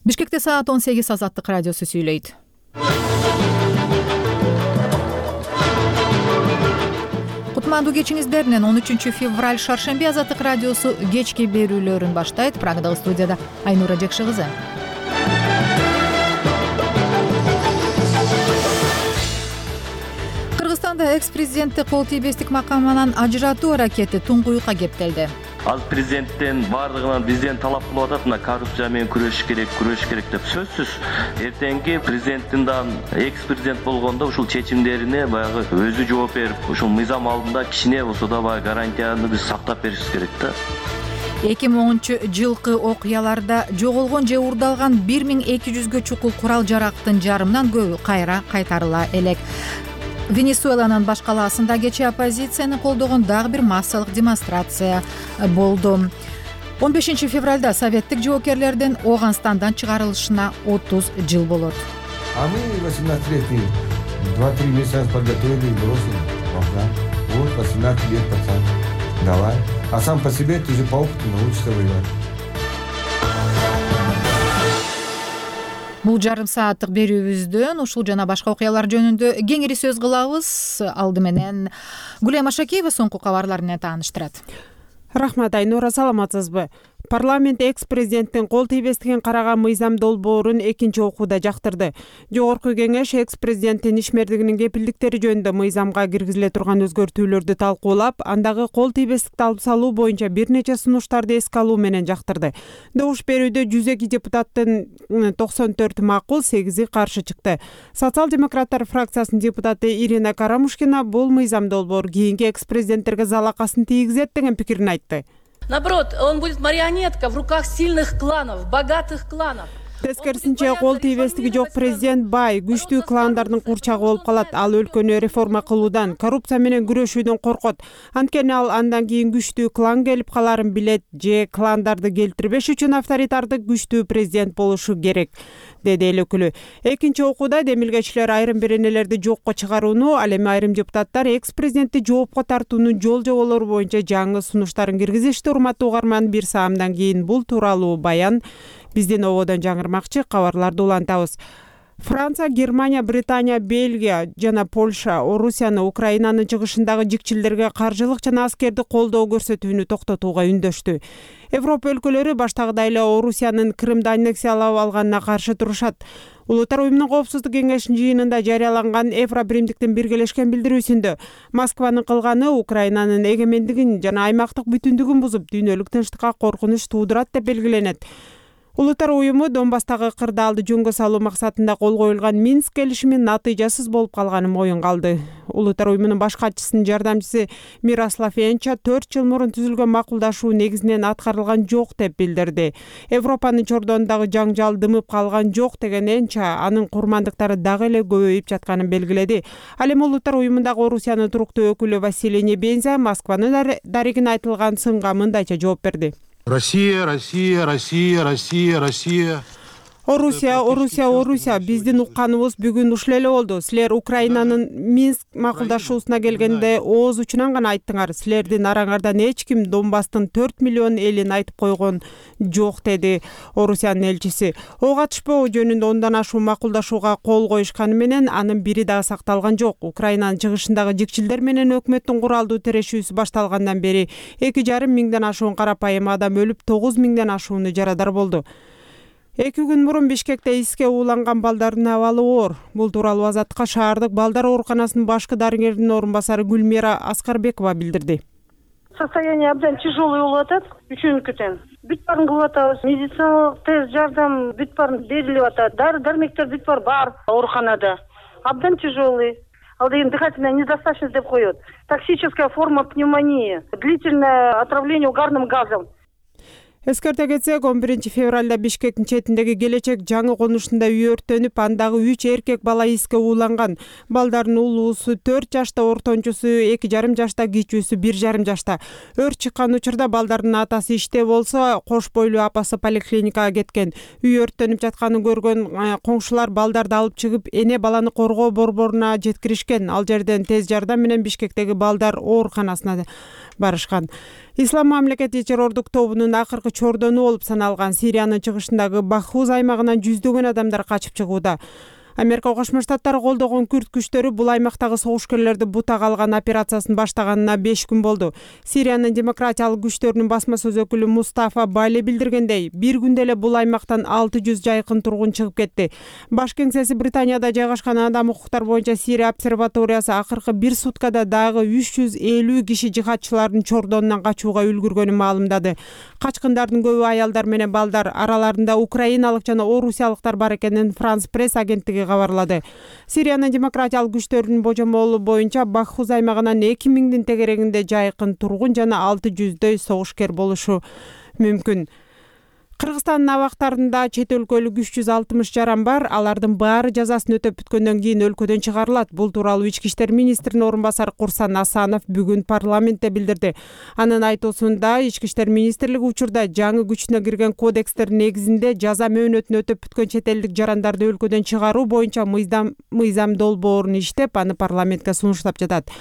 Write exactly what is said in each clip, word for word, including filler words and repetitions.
Бишкекте саат он сегиз Азаттык радиосу сүйлөйт. Кутмандуу кечиңиздер менен он үчүнчү февраль шаршемби Азаттык радиосу кечки берүүлөрүн баштайт. Прагадагы студияда Айнура Жекши кызы. Кыргызстанда экс-президентти кол тийбестик макамынан ажыратуу аракети туңгуюкка кептелди. Азыр президенттен бардыгынан бизден талап кылып атат, мына коррупция менен күрөшүш керек, күрөшүш керек деп. Сөзсүз эртеңки президенттин да экс-президент болгондо ушул чечимдерине баягы өзү жооп берип, ушул мыйзам алдында кичине болсо да баягы гарантияны биз сактап беришибиз керек да. эки миң онунчу жылкы окуяларда жоголгон же уурдалган бир миң эки жүзгө чукул курал жарактын жарымынан көбү кайра кайтарыла элек. Венесуэланын баш калаасында кечээ оппозицияны колдогон дагы бир массалык демонстрация болду. он бешинчи февралда советтик жоокерлердин Ооганстандан чыгарылышына отуз жыл болот. А мы восемнадцать лет два-три месяца подготовили и бросили. Вот восемнадцать лет, пацан. Давай. А сам по себе ты же по опыту научишься воевать. Бул жарым сааттык берүүбүздөн ушул жана башка окуялар жөнүндө кеңири сөз кылабыз. Алды менен Гүлем Ашакиева соңку кабарлар менен тааныштырат. Рахмат, Айнура, саламатсызбы? Парламент экс-президенттин кол тийбестигин караган мыйзам долбоорун экинчи окууда жактырды. Жогорку кеңеш экс-президенттин ишмердигинин кепилдиктери жөнүндө мыйзамга киргизиле турган өзгөртүүлөрдү талкуулап, андагы кол тийбестикти алып салуу боюнча бир нече сунуштарды эске алуу менен жактырды. Добуш берүүдө жүз эки депутаттын токсон төртү макул, сегизи каршы чыкты. Социал-демократтар фракциясынын депутаты Ирина Карамушкина бул мыйзам долбоор кийинки экс-президенттерге залакасын тийгизет деген пикирин айтты. Наоборот, он будет марионетка в руках сильных кланов, богатых кланов. Тескерисинче кол тийбестиги жок президент бай, күчтүү кландардын курчагы болуп калат. Ал өлкөнү реформа кылуудан, коррупция менен күрөшүүдөн коркот. Анткени ал андан кийин күчтүү клан келип каларын билет же кландарды келтирбеш үчүн авторитардык күчтүү президент болушу керек, деди эл өкүлү. Экинчи окууда демилгечилер айрым беренелерди жокко чыгарууну, ал эми айрым депутаттар экс-президентти жоопко тартуунун жол жоболору боюнча жаңы сунуштарын киргизишти. Урматтуу угарман, бир саамдан кийин бул тууралуу баян биздин ободон жаңырмакчы, кабарларды улантабыз. Франция, Германия, Британия, Бельгия жана Польша Орусияны Украинанын чыгышындагы жикчилдерге каржылык жана аскердик колдоо көрсөтүүнү токтотууга үндөштү. Европа өлкөлөрү баштагыдай эле Орусиянын Крымды аннексиялап алганына каршы турушат. Улуттар уюмунун коопсуздук кеңешинин жыйынында жарыяланган Евробиримдиктин биргелешкен билдирүүсүндө Москванын кылганы Украинанын эгемендигин жана аймактык бүтүндүгүн бузуп, дүйнөлүк тынчтыкка коркунуч туудурат деп белгиленет. Улуттар уюму Донбасстагы кырдаалды жөнгө салуу максатында кол коюлган Минск келишимин натыйжасыз болуп калганын моюнга алды. Улуттар уюмунун баш катчысынын жардамчысы Мирослав Енча төрт жыл мурун түзүлгөн макулдашуу негизинен аткарылган жок деп билдирди. Европанын чордонундагы жаңжал дымып калган жок деген Енча анын курмандыктары дагы эле көбөйүп жатканын белгиледи. Ал эми Улуттар уюмундагы Орусиянын туруктуу өкүлү Василий Небензя Москванын дарегине айтылган сынга мындайча жооп берди. Россия, Россия, Россия, Россия, Россия. Орусия, Орусия, Орусия. Биздин укканыбыз бүгүн ушул эле болду. Силер Украинанын Минск макулдашуусуна келгенде ооз учунан гана айттыңар. Силердин араңардан эч ким Донбасстын төрт миллион элин айтып койгон жок, деди Орусиянын элчиси. Ого атышпоо жөнүндө ондан ашуу макулдашууга кол коюшканы менен анын бири дагы сакталган жок. Украинанын чыгышындагы жикчилдер менен өкмөттүн куралдуу тирешүүсү башталгандан бери эки жарым миңден ашуун карапайым адам өлүп, тогуз миңден ашууну жарадар болду. Эки күн мурун Бишкекте иске ууланган балдардын абалы оор. Бул тууралуу Азаттыкка шаардык балдар ооруканасынын башкы дарыгеринин орун басары Гүлмира Аскарбекова билдирди. Состояние абдан тяжелый болуп атат, үчүнкүтен. Бүт баарын кылып атабыз, медициналык тест жардам бүт баарын берилип атат. Дары дармектер бүт бар бар ооруканада. Абдан тяжелый. Ал деген дыхательная недостаточность деп коет. Токсическая форма пневмонии, длительное отравление угарным газом. Эскерте кетсек, он биринчи февралда Бишкектин четиндеги Келечек жаңы конушунда үй өрттөнүп, андагы үч эркек бала иске ууланган. Балдардын улуусу төрт жашта, ортончусу эки жарым жашта, кичүүсү бир жарым жашта. Өрт чыккан учурда балдардын атасы иште болсо, кош бойлуу апасы поликлиникага кеткен. Үй өрттөнүп жатканын көргөн коңшулар балдарды алып чыгып, эне баланы коргоо борборуна жеткиришкен. Ал жерден тез жардам менен Бишкектеги балдар ооруканасына барышкан. Ислам мамлекети террордук тобунун акыркы чордону болуп саналган Сириянын чыгышындагы Бахуз аймагынан жүздөгөн адамдар качып чыгууда. Америка Кошмо Штаттары колдогон күрд күчтөрү бул аймактагы согушкерлерди бутага алган операциясын баштаганына беш күн болду. Сириянын демократиялык күчтөрүнүн басма сөз өкүлү Мустафа Бали билдиргендей, бир күндө эле бул аймактан алты жүз жайкын тургун чыгып кетти. Баш кеңсеси Британияда жайгашкан Адам укуктар боюнча Сирия обсерваториясы акыркы бир суткада дагы үч жүз элүү киши жихадчылардын чордонунан качууга үлгүргөнүн маалымдады. Качкындардын көбү аялдар менен балдар, араларында украиналык жана орусиялыктар бар экенин Франс пресс агенттиги кабарлады. Сириянын демократиялык күчтөрүнүн божомолу боюнча Бахуз аймагынан эки миңдин тегерегинде жайкын тургун жана алты жүздөй согушкер болушу мүмкүн. Кыргызстандын абактарында чет өлкөлүк үч жүз алтымыш жаран бар. Алардын баары жазасын өтөп бүткөндөн кийин өлкөдөн чыгарылат. Бул тууралуу Ички иштер министринин орун басары Курсан Асанов бүгүн парламентте билдирди. Анын айтуусунда Ички иштер министрлиги учурда жаңы күчүнө кирген кодекстер негизинде жаза мөөнөтүн өтөп бүткөн чет элдик жарандарды өлкөдөн чыгаруу боюнча мыйзам мыйзам долбоорун иштеп, аны парламентке сунуштап жатат.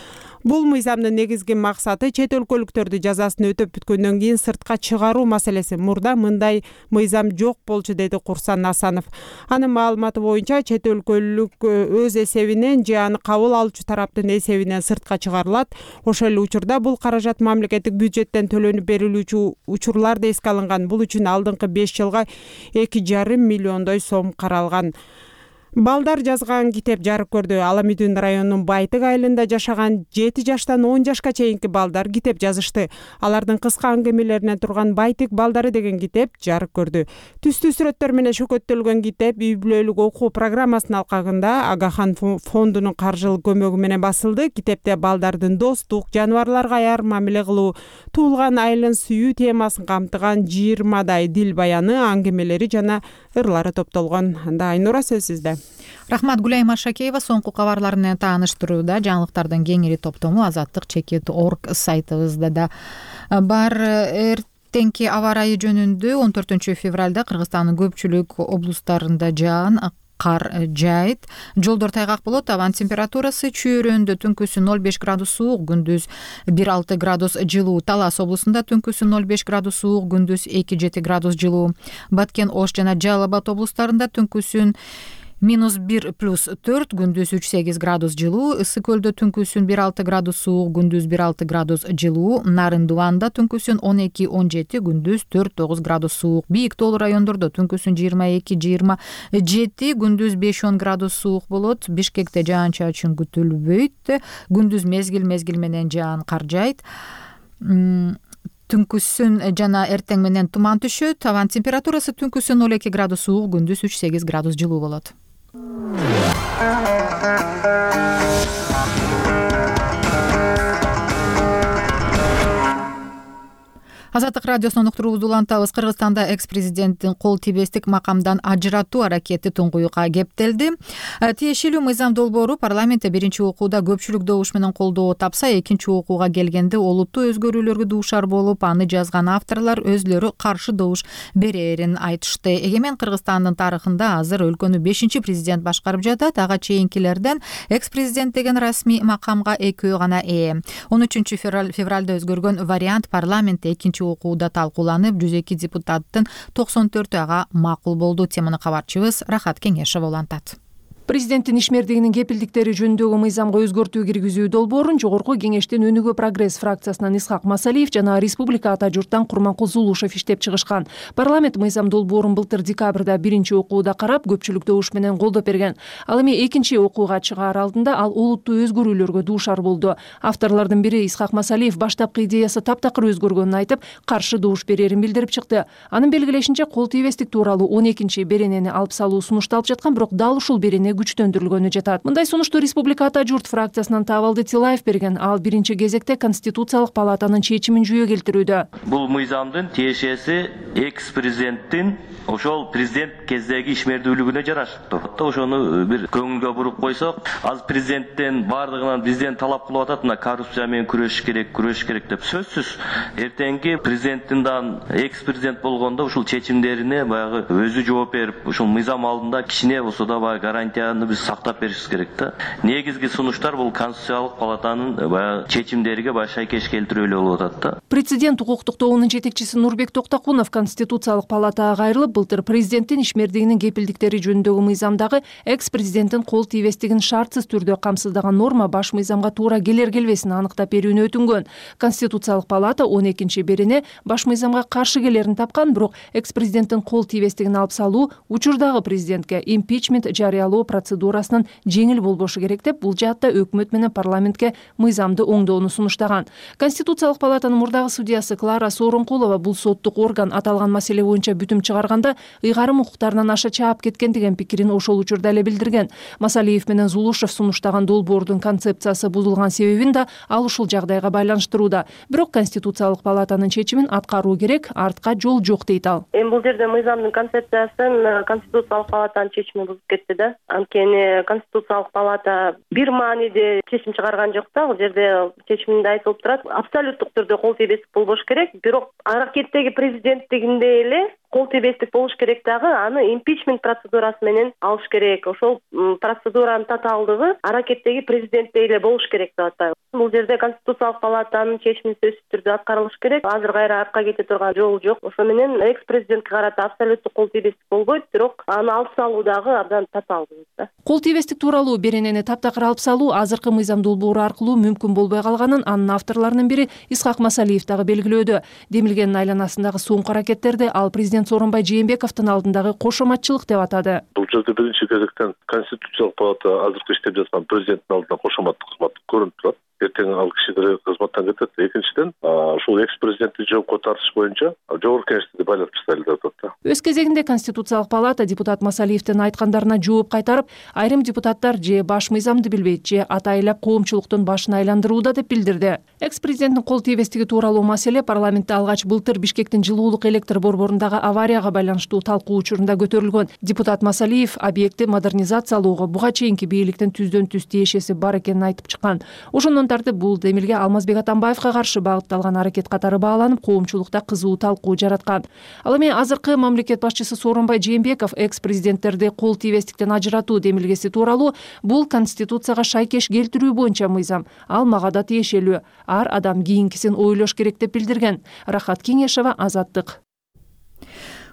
Бул мыйзамдын негизги максаты чет өлкөлүктөрдү жазасын өтөп бүткөндөн кийин сыртка чыгаруу маселеси. Мурда мындай мыйзам жок болчу, деди Курсан Асанов. Анын маалыматы боюнча чет өлкөлүк өз эсебинен же аны кабыл алуучу тараптын эсебинен сыртка чыгарылат. Ошол эле учурда бул каражат мамлекеттик бюджеттен төлөнүп берилүүчү учурлар да эске алынган. Бул үчүн алдыңкы беш жылга эки жарым миллиондой сом каралган. Балдар жазган китеп жарык көрдү. Аламүдүн районунун Байтык айылында жашаган жети жаштан он жашка чейинки балдар китеп жазышты. Алардын кыска аңгемелеринен турган Байтык балдары деген китеп жарык көрдү. Түстүү сүрөттөр менен шөкөттөлгөн китеп үй бүлөлүк окуу программасынын алкагында Агахан фондунун каржылык көмөгү менен басылды. Китепте балдардын достук, жаныбарларга аяр мамиле кылуу, туулган айылын сүйүү темасын камтыган жыйырмадай дил баяны, аңгемелери жана ырлары топтолгон. Анда Айнура сөз сизде. Рахмат. Гүлайма Шакеева соңку кабарлар менен тааныштырууда. Жаңылыктардын кеңири топтому азаттык чекит точка орг сайтыбызда да бар. Эртеңки аба ырайы жөнүндө он төртүнчү февралда Кыргызстандын көпчүлүк облустарында жаан, кар жайыт, жолдор тайгак болот. Абанын температурасы чүйөрөндө түнкүсү ноль беш градус суук, күндүз бир алты градус жылуу. Талас облусунда түнкүсү ноль беш градус суук, күндүз эки жети градус жылуу. Баткен, Ош жана Жалал Абад облустарында түнкүсүн минус бир плюс төрт, күндүз үч сегиз градус жылуу. Ысык көлдө түнкүсүн бир алты градус суук, күндүз бир алты градус жылуу. Нарын Дубанда түнкүсүн он эки он жети, күндүз төрт тогуз градус суук. Бийик тоолуу райондордо түнкүсүн жыйырма эки жыйырма жети, күндүз беш он градус суук болот. Бишкекте жаан-чачын күтүлбөйт. Күндүз мезгил мезгил менен жаан, кар жайт. Түнкүсүн жана эртең менен туман түшөт. Абанын температурасы түнкүсүн ноль эки градус суук, күндүз үч сегиз градус жылуу болот. Азаттык радиосунун уктуруубузду улантабыз. Кыргызстанда экс-президенттин кол тийбестик макамдан ажыратуу аракети туңгуюкка кептелди. Тиешелүү мыйзам долбоору парламентте биринчи окууда көпчүлүк добуш менен колдоо тапса, экинчи окууга келгенде олуттуу өзгөрүүлөргө дуушар болуп, аны жазган авторлор өзлөрү каршы добуш берерин айтышты. Эгемен Кыргызстандын тарыхында азыр өлкөнү бешинчи президент башкарып жатат. Ага чейинкилерден экс-президент деген расмий макамга экөө гана ээ. он үчүнчү февралда өзгөргөн вариант парламентте экинчи окууда талкууланып, жүз эки депутаттын токсон төртү ага макул болду. Теманы кабарчыбыз Рахат Кеңешов улантат. Президенттин ишмердигинин кепилдиктери жөнүндөгү мыйзамга өзгөртүү киргизүү долбоорун Жогорку Кеңештин Өнүгүү Прогресс фракциясынан Исхак Масалиев жана Республика ата журттан Курманкул Зулушев иштеп чыгышкан. Парламент мыйзам долбоорун былтыр декабрда биринчи окууда карап, көпчүлүк добуш менен колдоп берген. Ал эми экинчи окууга чыгаар алдында ал олуттуу өзгөрүүлөргө дуушар болду. Авторлордун бири Исхак Масалиев баштапкы идеясы таптакыр өзгөргөнүн айтып, каршы добуш берерин билдирип чыкты. Анын белгилешинче, кол тийбестик тууралуу он экинчи беренени алып салуу сунушталып жаткан, бирок дал ушул берене күчтөндүрүлгөнү жатат. Мындай сунушту Республика ата журт фракциясынан Табалды Тилаев берген. Ал биринчи кезекте Конституциялык палатанын чечимин жүйө келтирүүдө. Бул мыйзамдын тиешеси экс-президенттин ошол президент кездеги ишмердүүлүгүнө жараштуу. Ошону бир көңүлгө буруп койсок, азыр президенттен бардыгынан бизден талап кылып атат, мына коррупция менен күрөшүш керек, күрөшүш керек деп. Сөзсүз эртеңки президенттин дан экс президент болгондо ушул чечимдерине баягы өзү жооп берип, ушул мыйзам алдында кичине болсо да баягы гарантияны биз сактап беришибиз керек да. Негизги сунуштар бул Конституциялык палатанын баягы чечимдериге баягы шайкеш келтирүү эле болуп атат да. Президент укуктук тобунун жетекчиси Нурбек Токтокунов Конституциялык палатага кайрылып, былтыр президенттин ишмердигинин кепилдиктери жөнүндөгү мыйзамдагы экс президенттин кол тийбестигин шартсыз түрдө камсыздаган норма баш мыйзамга туура келер келбесин аныктап берүүнү өтүнгөн. Конституциялык палата он экинчи берене баш мыйзамга каршы келерин тапкан, бирок экс президенттин кол тийбестигин алып салуу учурдагы президентке импичмент жарыялоо процедурасынын жеңил болбошу керек деп, бул жаатта өкмөт менен парламентке мыйзамды оңдоону сунуштаган. Конституциялык палатанын мурдагы судьясы Клара Сооронкулова бул соттук орган аталган маселе боюнча бүтүм чыгарганда ыйгарым укуктарынан аша чаап кеткен деген пикирин ошол учурда эле билдирген. Масалиев менен Зулушев сунуштаган долбоордун концепциясы бузулган себебин да ал ушул жагдайга байланыштырууда. Бирок Конституциялык палатанын чечимин аткаруу керек, артка жол жок дейт ал. Эми бул жерде мыйзамдын концепциясын Конституциялык палатанын чечими бузуп кетти да. Анткени Конституциялык палата бир мааниде чечим чыгарган жок да. Бул жерде чечиминде айтылып турат, абсолюттук түрдө кол тийбестик болбош керек, бирок аракеттеги президенттигинде эле кол тийбестик болуш керек дагы, аны импичмент процедурасы менен алыш керек. Ошол процедуранын татаалдыгы аракеттеги президентте эле болуш керек деп атайбыз. Бул жерде Конституциялык палатанын чечими сөзсүз түрдө аткарылыш керек. Азыр кайра артка кете турган жол жок. Ошо менен экс президентке карата абсолюттук кол тийбестик болбойт, бирок аны алып салуу дагы абдан татаалдуу да. Кол тийбестик тууралуу беренени таптакыр алып салуу азыркы мыйзам долбоору аркылуу мүмкүн болбой калганын анын авторлорунун бири Исхак Масалиев дагы белгилөөдө. Демилгендин айланасындагы соңку аракеттерди ал президент Сооронбай Жээнбековдун алдындагы кошоматчылык деп атады. Бул жерде биринчи кезектен Конституциялык палата азыркы иштеп жаткан президенттин алдында кошоматтык кызмат көрүнүп турат. Эртең ал киши кызматтан кетет. Экинчиден, ушул экс президентти жоопко тартыш боюнча жогорку кеңешти байлап таштайлы деп атат да. Өз кезегинде Конституциялык палата депутат Масалиевдин айткандарына жооп кайтарып, айрым депутаттар же баш мыйзамды билбейт, же атайлап коомчулуктун башын айландырууда деп билдирди. Экс президенттин кол тийбестиги тууралуу маселе парламентте алгач былтыр Бишкектин жылуулук электр борборундагы аварияга байланыштуу талкуу учурунда көтөрүлгөн. Депутат Масалиев объектти модернизациялоого буга чейинки бийликтин түздөн түз тиешеси бар экенин айтып чыккан. Ошондон тартып бул демилге Алмазбек Атамбаевга каршы багытталган аракет катары бааланып, коомчулукта кызуу талкуу жараткан. Ал эми азыркы мамлекет башчысы Сооронбай Жээнбеков экс президенттерди кол тийбестиктен ажыратуу демилгеси тууралуу бул Конституцияга шайкеш келтирүү боюнча мыйзам. Ал мага да тиешелүү. Ар адам кийинкисин ойлош керек деп билдирген. Рахат Кеңешева, Азаттык.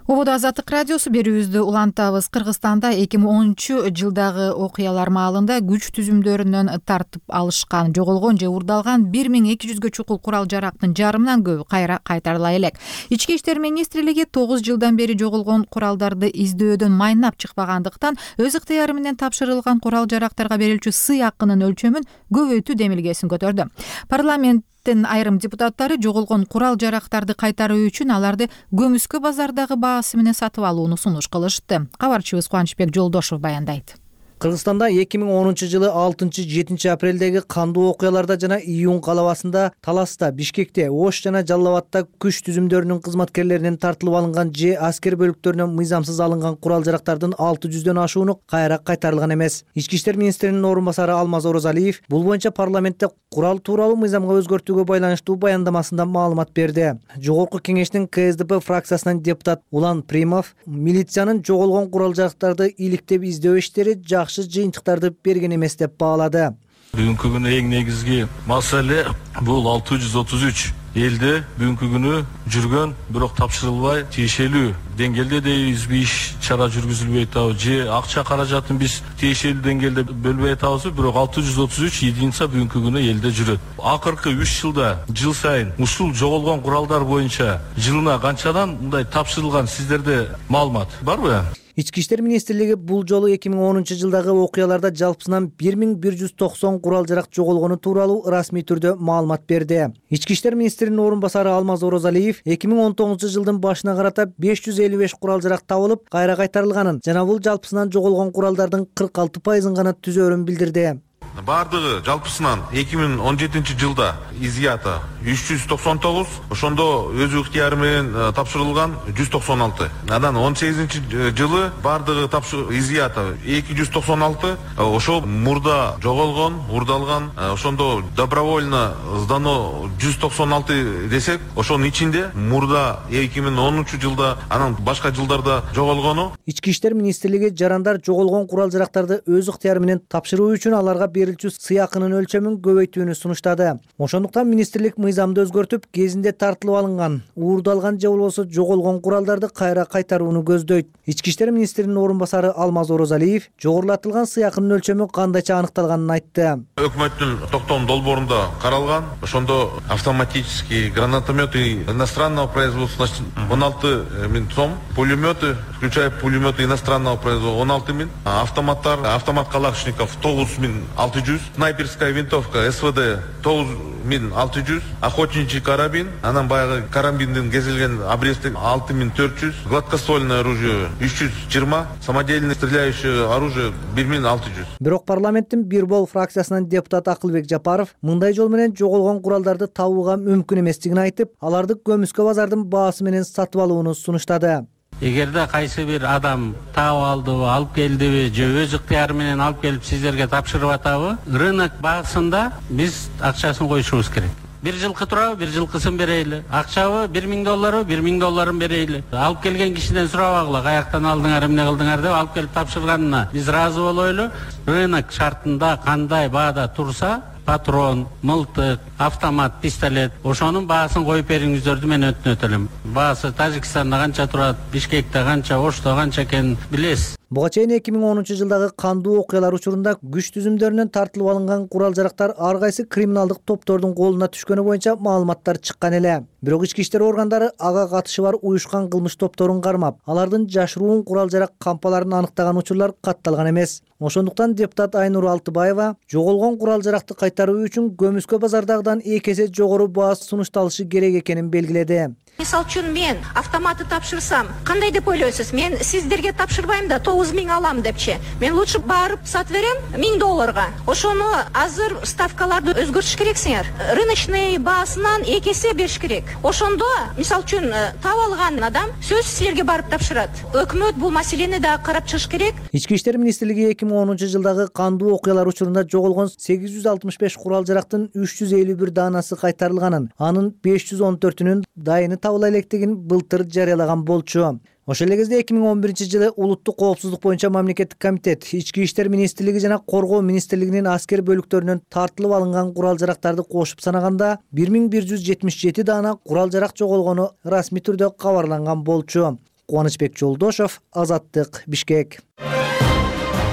Ободо Азаттык радиосу, берүүбүздү улантабыз. Кыргызстанда эки миң онунчу жылдагы окуялар маалында күч түзүмдөрүнөн тартып алышкан, жоголгон же уурдалган бир миң эки жүзгө чукул курал жарактын жарымынан көбү кайра кайтарыла элек. Ички иштер министрлиги тогуз жылдан бери жоголгон куралдарды издөөдөн майнап чыкпагандыктан өз ыктыяры менен тапшырылган курал жарактарга берилчү сый акынын өлчөмүн көбөйтүү демилгесин көтөрдү. Парламент айрым депутаттары жоголгон курал жарактарды кайтаруу үчүн аларды көмүскө базардагы баасы менен сатып алууну сунуш кылышты. Кабарчыбыз Кубанычбек Жолдошов баяндайт. Кыргызстанда эки миң онунчу жылы алтынчы жетинчи апрелдеги кандуу окуяларда жана июнь калабасында, Таласта, Бишкекте, Ош жана Жалал Абадта күч түзүмдөрүнүн кызматкерлеринен тартылып алынган же аскер бөлүктөрүнөн мыйзамсыз алынган курал жарактардын алты жүздөн ашууну кайра кайтарылган эмес. Ички иштер министринин орун басары Алмаз Оразалиев бул боюнча парламентте курал тууралуу мыйзамга өзгөртүүгө байланыштуу баяндамасында маалымат берди. Жогорку кеңештин Ка Эс Д П фракциясынан депутат Улан Примов милициянын жоголгон курал жарактарды иликтеп издөө иштери жыйынтыктарды берген эмес деп баалады. Бүгүнкү күнү эң негизги маселе бул алты жүз отуз үч элде бүгүнкү күнү жүргөн, бирок тапшырылбай тиешелүү деңгээлде де иш чара жүргүзүлбөй атабы, же акча каражатын биз тиешелүү деңгээлде бөлбөй атабыз, бирок алты жүз отуз үч единица бүгүнкү күнү элде жүрөт. Акыркы үч жылда жыл сайын ушул жоголгон куралдар боюнча жылына канчадан мындай тапшырылган, сиздерде маалымат барбы? Ички иштер министрлиги бул жолу эки миң онунчу жылдагы окуяларда жалпысынан бир миң бир жүз токсон курал жарак жоголгону тууралуу расмий түрдө маалымат берди. Ички иштер министринин орун басары Алмаз Оразалиев эки миң он тогузунчу жылдын башына карата беш жүз элүү беш курал жарак табылып, кайра кайтарылганын жана бул жалпысынан жоголгон куралдардын кырк алты пайызын гана түзөөрүн билдирди. Бардыгы жалпысынан эки миң он жетинчи жылда изъято үч жүз токсон тогуз, ошондо өз ыктыяры менен тапшырылган жүз токсон алты. Анан он сегизинчи жылы бардыгы изъято эки жүз токсон алты, ошол мурда жоголгон, урдалган, ошондо добровольно сдано жүз токсон алты десек, ошонун ичинде мурда эки миң онунчу жылда, анан башка жылдарда жоголгону. Ички иштер министрлиги жарандар жоголгон курал-жарактарды өз ыктыяры менен тапшыруу үчүн аларга берилчү сыйакынын өлчөмүн көбөйтүүнү сунуштады. Ошондуктан министрлик мыйзамды өзгөртүп, кезинде тартылып алынган, уурдалган же болбосо жоголгон куралдарды кайра кайтарууну көздөйт. Ички иштер министринин орун басары Алмаз Орозалиев жогорулатылган сыйакынын өлчөмү кандайча аныкталганын айтты. Өкмөттүн токтом долбоорунда каралган, ошондо автоматический гранатометы иностранного производства он алты миң сом, пулеметы, включая пулеметы иностранного производства он алты миң, автоматтар, автомат калашников тогуз миң алты жүз, снайперская винтовка СВД тогуз миң алты жүз, охотничий карабин, анан баягы карабиндин кезилген обрезтик алты миң төрт жүз, гладкоствольное оружие үч жүз жыйырма, самодельное стреляющее оружие бир миң алты жүз. Бирок парламенттин бир бол фракциясынан депутат Акылбек Жапаров мындай жол менен жоголгон куралдарды табууга мүмкүн эместигин айтып, аларды көмүскө базардын баасы менен сатып алууну сунуштады. Эгерде кайсы бир адам таап алдыбы, алып келдиби, же өз ыктыяры менен алып келип сиздерге тапшырып атабы, рынок баасында биз акчасын коюшубуз керек. Бир жылкы турабы, бир жылкысын берейли. Акчабы бир миң долларбы, бир миң долларын берейли. Алып келген кишиден сурабагыла, каяктан алдыңар, эмне кылдыңар деп алып келип тапшырганына биз ыраазы болойлу. Рынок шартында кандай баада турса, патрон, мылтык, автомат, пистолет, ошонун баасын коюп бериңиздерди мен өтүнөт элем. Баасы Тажикстанда канча турат, Бишкекте канча, Ошто канча экенин билесиз. Буга чейин эки миң онунчу жылдагы кандуу окуялар учурунда күч түзүмдөрүнөн тартылып алынган курал-жарактар ар кайсы криминалдык топтордун колуна түшкөнү боюнча маалыматтар чыккан эле. Бирок ички иштер органдары ага катышы бар уюшкан кылмыш топторун кармап, алардын жашыруун курал-жарак кампаларын аныктаган учурлар катталган эмес. Ошондуктан депутат Айнур Алтыбаева жоголгон курал-жаракты кайтаруу үчүн көмүскө базардагыдан эки эсе жогору баа сунушталышы керек экенин белгиледи. Мисал үчүн мен автоматты тапшырсам, кандай деп ойлойсуз? Мен сиздерге тапшырбайм да тогуз миң алам депчи. Мен лучше барып сатып берем миң долларга. Ошону азыр ставкаларды өзгөртүш керексиңер. Рыночный баасынан эки эсе бериш керек. Ошондо, мисал үчүн таап алган адам сөзсүз силерге барып тапшырат. Өкмөт бул маселени да карап чыгыш керек. Ички иштер министрлиги эки миң онунчу жылдагы кандуу окуялар учурунда жоголгон сегиз жүз алтымыш беш курал-жарактын үч жүз элүү бир даанасы кайтарылганын, анын беш жүз он төртүнүн дайыны табыла электигин былтыр жарыялаган болчу. Ошол эле кезде эки миң он биринчи жылы улуттук коопсуздук боюнча мамлекеттик комитет, Ички иштер министрлиги жана Коргоо министрлигинин аскер бөлүктөрүнөн тартылып алынган курал-жарактарды кошуп санаганда бир миң бир жүз жетимиш жети даана курал-жарак жоголгону расмий түрдө кабарланган болчу. Кубанычбек Жолдошов, Азаттык, Бишкек.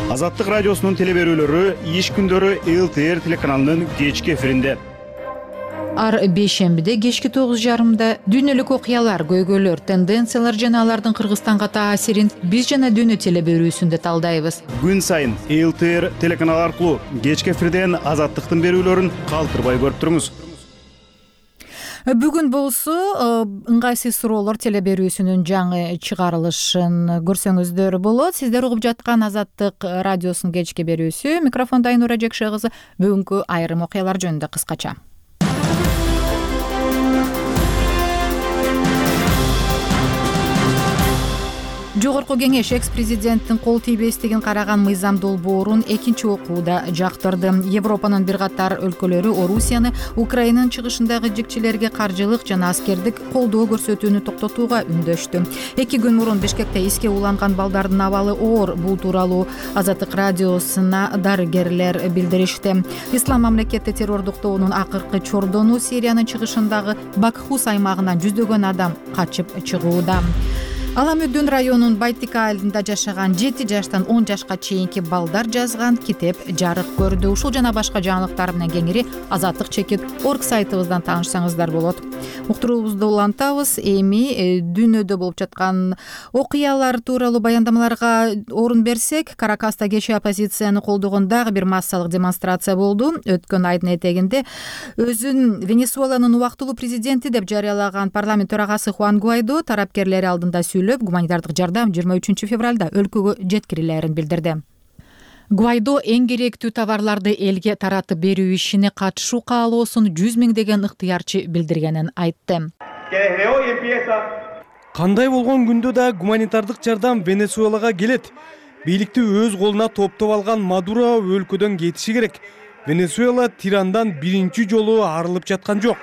Азаттык радиосунун телеберүүлөрү иш күндөрү эл тэ эр телеканалынын кечки эфиринде. Ар бейшембиде кечки тогуз жарымда дүйнөлүк окуялар, көйгөйлөр, тенденциялар жана алардын Кыргызстанга таасирин биз жана дүйнө телеберүүсүндө талдайбыз. Күн сайын эл тэ эр телеканалы аркылуу кечки эфирден Азаттыктын берүүлөрүн калтырбай көрүп туруңуз. Бүгүн болсо ыңгайсыз суроолор телеберүүсүнүн жаңы чыгарылышын көрсөңүздөр болот. Сиздер угуп жаткан Азаттык радиосунун кечки берүүсү. Микрофондо Айнура Жекше кызы. Бүгүнкү айрым окуялар жөнүндө кыскача. Жогорку кеңеш экс-президенттин кол тийбестигин караган мыйзам долбоорун экинчи окууда жактырды. Европанын бир катар өлкөлөрү Орусияны Украинанын чыгышындагы жикчилерге каржылык жана аскердик колдоо көрсөтүүнү токтотууга үндөштү. Эки күн мурун Бишкекте эске уланган балдардын абалы оор. Бул тууралуу Азаттык радиосуна дарыгерлер билдиришти. Ислам мамлекети террордук тобунун акыркы чордону Сириянын чыгышындагы Бакхус аймагынан жүздөгөн адам качып чыгууда. Аламүдүн районунун Байтика айылында жашаган жети жаштан он жашка чейинки балдар жазган китеп жарык көрдү. Ушул жана башка жаңылыктар менен кеңири Азаттык чекит орг сайтыбыздан таанышсаңыздар болот. Уктуруубузду улантабыз. Эми дүйнөдө болуп жаткан окуялар тууралуу баяндамаларга орун берсек, Каракаста кечээ оппозицияны колдогон дагы бир массалык демонстрация болду. Өткөн айдын этегинде өзүн Венесуэланын убактылуу президенти деп жарыялаган парламент төрагасы Хуан Гуайдо тарапкерлери алдында гуманитардык жардам жыйырма үчүнчү февралда өлкөгө жеткирилерин билдирди. Гуайдо эң керектүү товарларды элге таратып берүү ишине катышуу каалоосун жүз миңдеген ыктыярчы билдиргенин айтты. Кандай болгон күндө да гуманитардык жардам Венесуэлага келет. Бийликти өз колуна топтоп алган Мадуро өлкөдөн кетиши керек. Венесуэла тирандан биринчи жолу арылып жаткан жок.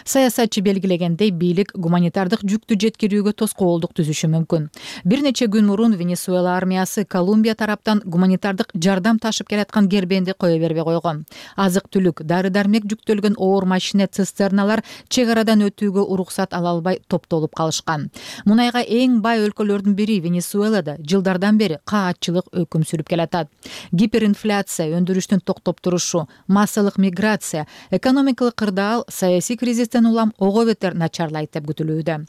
Саясатчы белгилегендей, бийлик гуманитардык жүктү жеткирүүгө тоскоолдук түзүшү мүмкүн. Бир нече күн мурун Венесуэла армиясы Колумбия тараптан гуманитардык жардам ташып келаткан кербенди кое бербей койгон. Азык-түлүк, дары-дармек жүктөлгөн оор машина цистерналар чек арадан өтүүгө уруксат ала албай топтолуп калышкан. Мунайга эң бай өлкөлөрдүн бири Венесуэлада жылдардан бери каатчылык өкүм сүрүп келатат. Гиперинфляция, өндүрүштүн токтоп турушу, массалык миграция, экономикалык кырдаал саясий кризистен улам ого бетер начарлайт деп күтүлүүдө.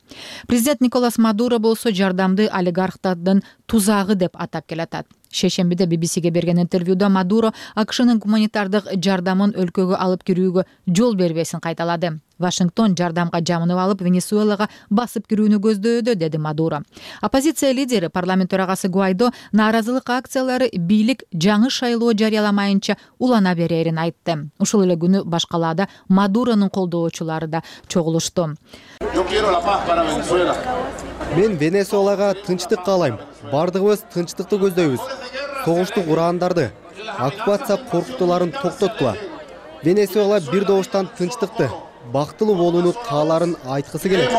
Президент Николас Мадуро болсо жардамды олигархтардын тузагы деп атап келатат. Шешембиде би би сиге берген интервьюда Мадуро АКШнын гуманитардык жардамын өлкөгө алып кирүүгө жол бербесин кайталады. Вашингтон жардамга жамынып алып Венесуэлага басып кирүүнү көздөөдө, деди Мадуро. Оппозиция лидери, парламент төрагасы Гуайдо нааразылык акциялары бийлик жаңы шайлоо жарыяламайынча улана берерин айтты. Ушул эле күнү башкалаада Мадуронун колдоочулары да чогулушту. Мен Венесуэлага тынчтык каалайм. Бардыгыбыз тынчтыкты көздөйбүз. Согушту кургандарды, оккупация коркутууларын токтоткула. Венесуэла бир добуштан тынчтыкты, бактылуу болууну кааларын айткысы келет.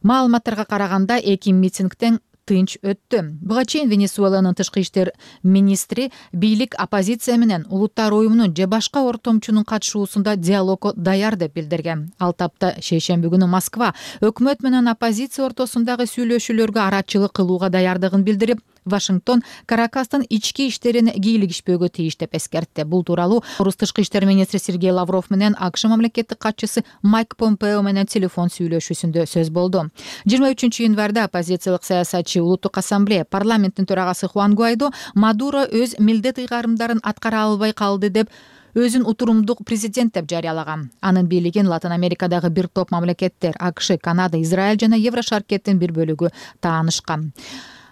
Маалыматтарга караганда эки митингден тынч өттү. Буга чейин Венесуэланын тышкы иштер министри бийлик оппозиция менен улуттар уюмунун же башка ортомчунун катышуусунда диалогго даяр деп билдирген. Ал тапта шейшемби күнү Москва өкмөт менен оппозиция ортосундагы сүйлөшүүлөргө арачылык кылууга даярдыгын билдирип, Вашингтон Каракастын ички иштерин кийлигишпөөгө тийиш деп эскертти. Бул тууралуу орус тышкы иштер министри Сергей Лавров менен АКШ мамлекеттик катчысы Майк Помпео менен телефон сүйлөшүүсүндө сөз болду. жыйырма үчүнчү январда оппозициялык саясатчы Улуттук ассамблея парламенттин төрагасы Хуан Гуайдо Мадуро өз милдет ыйгарымдарын аткара албай калды деп өзүн утурумдук президент деп жарыялаган. Анын бийлигин Латын Америкадагы бир топ мамлекеттер АКШ, Канада, Израиль жана Еврошаркеттин бир бөлүгү таанышкан.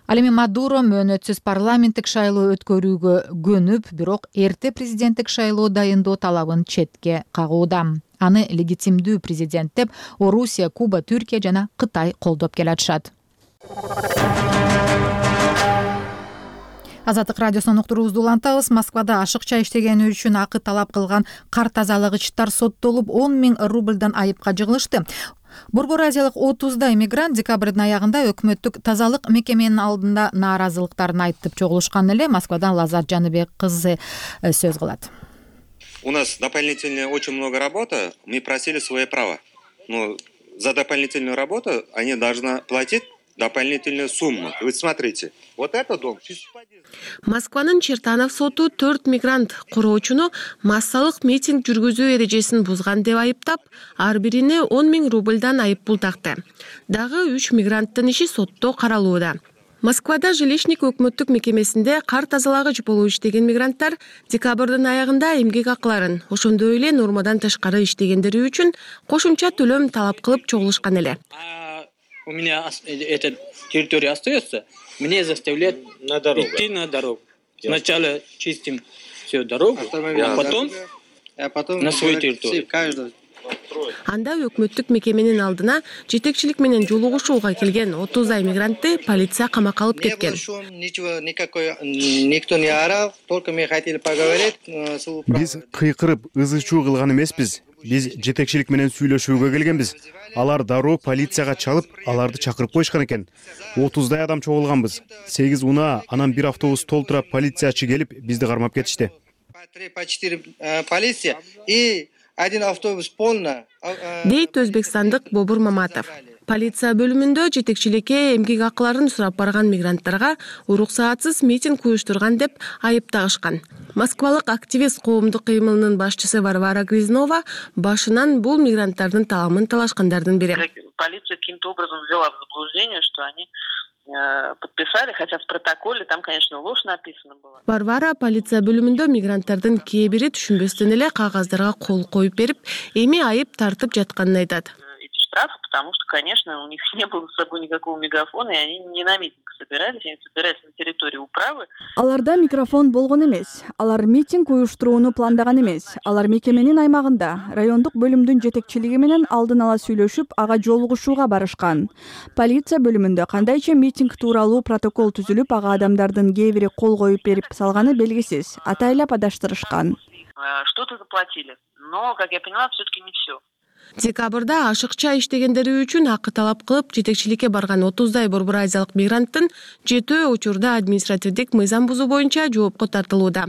Ал эми Мадуро мөөнөтсүз парламенттик шайлоо өткөрүүгө көнүп, бирок эрте президенттик шайлоо дайындоо талабын четке кагууда. Аны легитимдүү президент деп Орусия, Куба, Түркия жана Кытай колдоп келатышат. Азаттык радиосунун уктуруубузду улантабыз. Москвада ашыкча иштегени үчүн акы талап кылган кар тазалагычтар соттолуп он миң рубльдан айыпка жыгылышты. Борбор Азиялык отуздай мигрант декабрдын аягында өкмөттүк тазалык мекеменин алдында нааразылыктарын айтып чогулушкан эле. Москвадан Лазат Жаныбек кызы сөз кылат. У нас дополнительно очень много работы. Мы просили свое право. Но за дополнительную работу они должны платить дополнительную сумму. Вы смотрите, вот этот дом. Москванын Чертанов соту төрт мигрант куроочуну массалык митинг жүргүзүү эрежесин бузган деп айыптап, ар бирине он миң рубльдан айып пул такты. Дагы үч мигранттын иши сотто каралууда. Москвада жилищник өкмөттүк мекемесинде кар тазалагыч болуп иштеген мигранттар декабрдын аягында эмгек акыларын, ошондой эле нормадан тышкары иштегендери үчүн кошумча төлөм талап кылып чогулушкан эле. У меня эта территория остается, мне заставляют на идти на дорогу. Сначала чистим всю дорогу, а потом, а потом на свою территорию. Анда өкмөттүк мекеменин алдына жетекчилик менен жолугушууга келген отуздай мигрантты полиция камакка алып кеткен. Ничего, никакой, никто не орал, только мы хотели поговорить. Биз кыйкырып, ызы-чуу кылган эмеспиз. Биз жетекчилик менен сүйлөшүүгө келгенбиз. Алар дароо полицияга чалып, аларды чакырып коюшкан экен. отуздай адам чогулганбыз. сегиз унаа, анан бир автобус толтура полициячы келип, бизди кармап кетишти. три по четыре полиция и один автобус полный. Дейт өзбекстандык Бобур Маматов. Полиция бөлүмүндө жетекчиликке эмгек акыларын сурап барган мигранттарга уруксаатсыз митинг уюштурган деп айыптагышкан. Москвалык активист коомдук кыймылынын башчысы Варвара Грязнова башынан бул мигранттардын таламын талашкандардын бири. Полиция каким-то образом ввела в заблуждение, что они подписали, хотя в протоколе там, конечно, ложь написана была. Варвара полиция бөлүмүндө мигранттардын кээ бири түшүнбөстөн эле кагаздарга кол коюп берип, эми айып тартып жатканын айтат. прав, потому что, конечно, у них не было с собой никакого мегафона, и они не на митинг собирались, они собирались на территории управы. Аларда микрофон болгон эмес. Алар митинг уюштурууну пландаган эмес. Алар мекеменин аймагында райондук бөлүмдүн жетекчилиги менен алдын ала сүйлөшүп, ага жолугушууга барышкан. Полиция бөлүмүндө кандайча митинг тууралуу протокол түзүлүп, ага адамдардын кээ бири кол коюп берип салганы белгисиз. Атайлап адаштырышкан. Что-то заплатили, но, как я поняла, все-таки не все. Декабрда ашыкча иштегендери үчүн акы талап кылып жетекчиликке барган отуздай Борбор Азиялык мигранттын жетөө учурда административдик мыйзам бузуу боюнча жоопко тартылууда.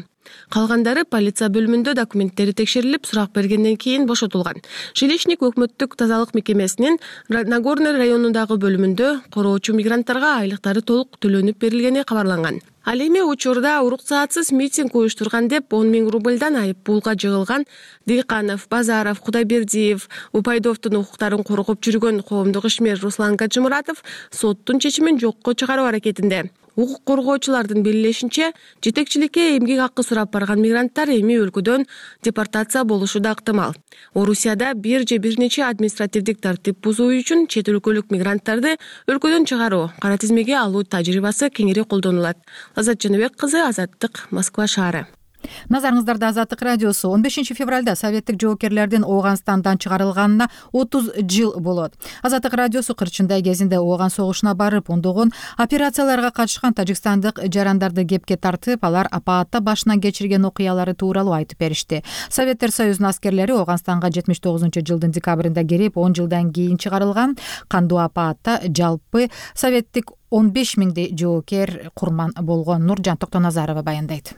Калгандары полиция бөлүмүндө документтери текшерилип, сурак бергенден кийин бошотулган. Жилищник өкмөттүк тазалык мекемесинин Нагорный районундагы бөлүмүндө короочу мигранттарга айлыктары толук төлөнүп берилгени кабарланган. Ал эми учурда уруксаатсыз митинг уюштурган деп он миң рубльдан айып пулга жыгылган Дыйканов, Базаров, Кудайбердиев, Упайдовдун укуктарын коргоп жүргөн коомдук ишмер Руслан Гаджимуратов соттун чечимин жокко чыгаруу аракетинде. Укук коргоочулардын белгилешинче, жетекчиликке эмгек акы сурап барган мигранттар эми өлкөдөн депортация болушу да ыктымал. Орусияда бир же бир нече административдик тартип бузуу үчүн чет өлкөлүк мигранттарды өлкөдөн чыгаруу, кара тизмеге алуу тажрыйбасы кеңири колдонулат. Азат Жаныбек кызы, Азаттык, Москва шаары. Назарыңыздарда Азаттык радиосу. он бешинчи февралда советтик жоокерлердин Ооганстандан чыгарылганына отуз жыл болот. Азаттык радиосу кырчындай кезинде Ооган согушуна барып, ондогон операцияларга катышкан тажикстандык жарандарды кепке тартып, алар апаатта башынан кечирген окуялары тууралуу айтып беришти. Советтер Союзунун аскерлери Ооганстанга жетимиш тогузунчу жылдын декабрында кирип, он жылдан кийин чыгарылган. Кандуу апаатта жалпы советтик он беш миңдей жоокер курман болгон. Нуржан Токтоназарова баяндайт.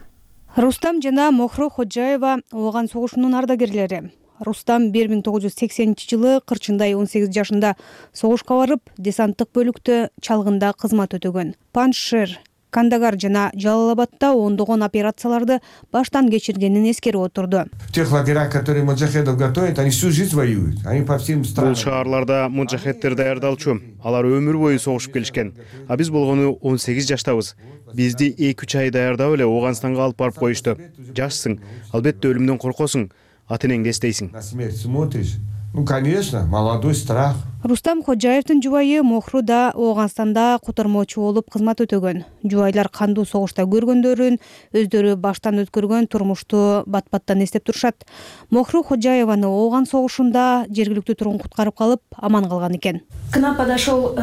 Рустам жана Мохро Ходжаева Ооган согушунун ардагерлери. Рустам бир миң тогуз жүз сексенинчи жылы кырчындай он сегиз жашында согушка барып, десанттык бөлүктө чалгында кызмат өтөгөн. Паншир, Кандагар жана Жалалабадда ондогон операцияларды баштан кечиргенин эскерип отурду. В тех лагерях, которые муджахедов готовят, они всю жизнь воюют. Они по всем странам. Бул шаарларда муджахеддер даярдалчу. Алар өмүр бою согушуп келишкен. А биз болгону он сегиз жаштабыз. Бизди эки үч ай даярдап эле Ооганстанга алып барып коюшту. Жашсың, албетте өлүмдөн коркосуң, ата энеңди эстейсиң. На смерть смотришь. Ну, конечно, молодой страх. Рустам Ходжаевдин жубайы Мохру да Ооганстанда котормочу болуп кызмат өтөгөн. Жубайлар кандуу согушта көргөндөрүн, өздөрү баштан өткөргөн турмушту бат-баттан эстеп турушат. Мохру Ходжаеваны Ооган согушунда жергиликтүү тургун куткарып калып, аман калган экен. К нам подошел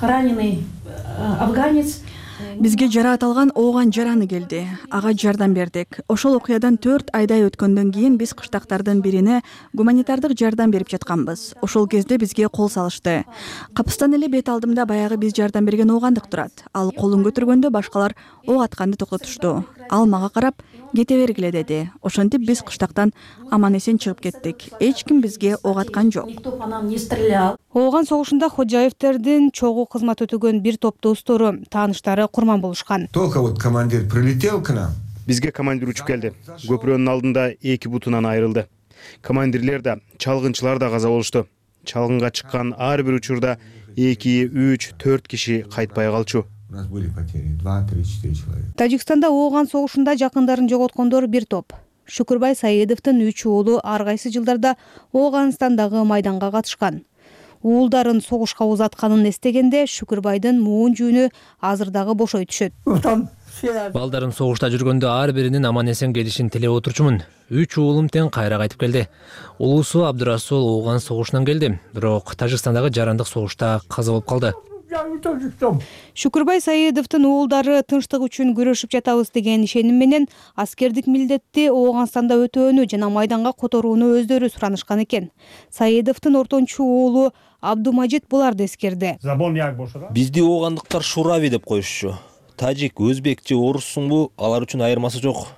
раненый афганец. Бизге жараат алган Ооган жараны келди. Ага жардам бердик. Ошол окуядан төрт айдай өткөндөн кийин биз кыштактардын бирине гуманитардык жардам берип жатканбыз. Ошол кезде бизге кол салышты. Капыстан эле бет алдымда баягы биз жардам берген оогандык турат. Ал колун көтөргөндө башкалар ок атканды токтотушту. Ал мага карап, кете бергиле деди. Ошентип биз кыштактан аман эсен чыгып кеттик. Эч ким бизге ок аткан жок. Никто по нам не стрелял. Ооган согушунда Ходжаевдердин чогуу кызмат өтөгөн бир топ достору, тааныштары курман болушкан. Только вот командир прилетел к нам. Бизге командир учуп келди. Көпүрөнүн алдында эки бутунан айрылды. Командирлер да, чалгынчылар да каза болушту. Чалгынга чыккан ар бир учурда эки, үч, төрт киши кайтпай калчу. У нас были потери два, три, четыре человека. Тажикстанда Ооган согушунда жакындарын жоготкондор бир топ. Шүкүрбай Саидовдун үч уулу ар кайсы жылдарда Ооганстандагы майданга катышкан. Уулдарын согушка узатканын эстегенде Шүкүрбайдын муун жүүнү азыр дагы бошой түшөт. Балдарын согушта жүргөндө ар биринин аман эсен келишин тилеп отурчумун. Үч уулум тең кайра кайтып келди. Улуусу Абдурасул Ооган согушунан келди, бирок Тажикстандагы жарандык согушта каза болуп калды. Шүкүрбай Саидовдун уулдары тынчтык үчүн күрөшүп жатабыз деген ишеним менен аскердик милдетти Ооганстанда өтөөнү жана майданга которууну өздөрү суранышкан экен. Саидовдун ортончу уулу Абдумажит буларды эскерди. Бизди оогандыктар шурави деп коюшчу. Тажик, өзбек же оруссуңбу, алар үчүн айырмасы жок.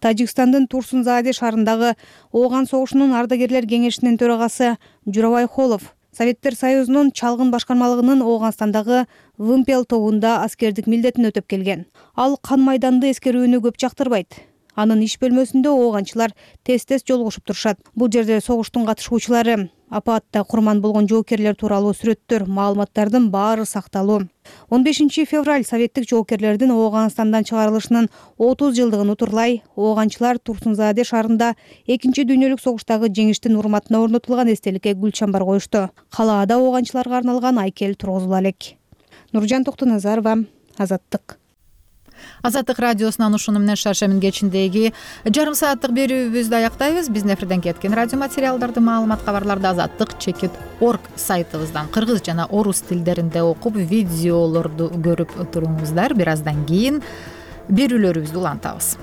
Тажикстандын Турсунзаде шаарындагы Ооган согушунун ардагерлер кеңешинин төрагасы Журабай Холов Советтер Союзунун чалгын башкармалыгынын Ооганстандагы Вымпел тобунда аскердик милдетин өтөп келген. Ал кан майданды эскерүүнү көп жактырбайт. Анын иш бөлмөсүндө ооганчылар тез-тез жолугушуп турушат. Бул жерде согуштун катышуучулары апаатта курман болгон жоокерлер тууралуу сүрөттөр, маалыматтардын баары сакталуу. он бешинчи февраль советтик жоокерлердин Ооганстандан чыгарылышынын отуз жылдыгын утурлай ооганчылар Турсунзааде шаарында экинчи дүйнөлүк согуштагы жеңиштин урматына орнотулган эстеликке гүл чамбар коюшту. Калаада ооганчыларга арналган айкел тургузула элек. Нуржан Токтоназарова, Азаттык. Азаттык радиосунан ушуну менен шаршемин кечиндеги жарым сааттык берүүбүздү аяктайбыз. Биздин эфирден кеткен радио материалдарды, маалымат, кабарларды азаттык чекит орг сайтыбыздан кыргыз жана орус тилдеринде окуп, видеолорду көрүп туруңуздар. Бир аздан кийин берүүлөрүбүздү улантабыз.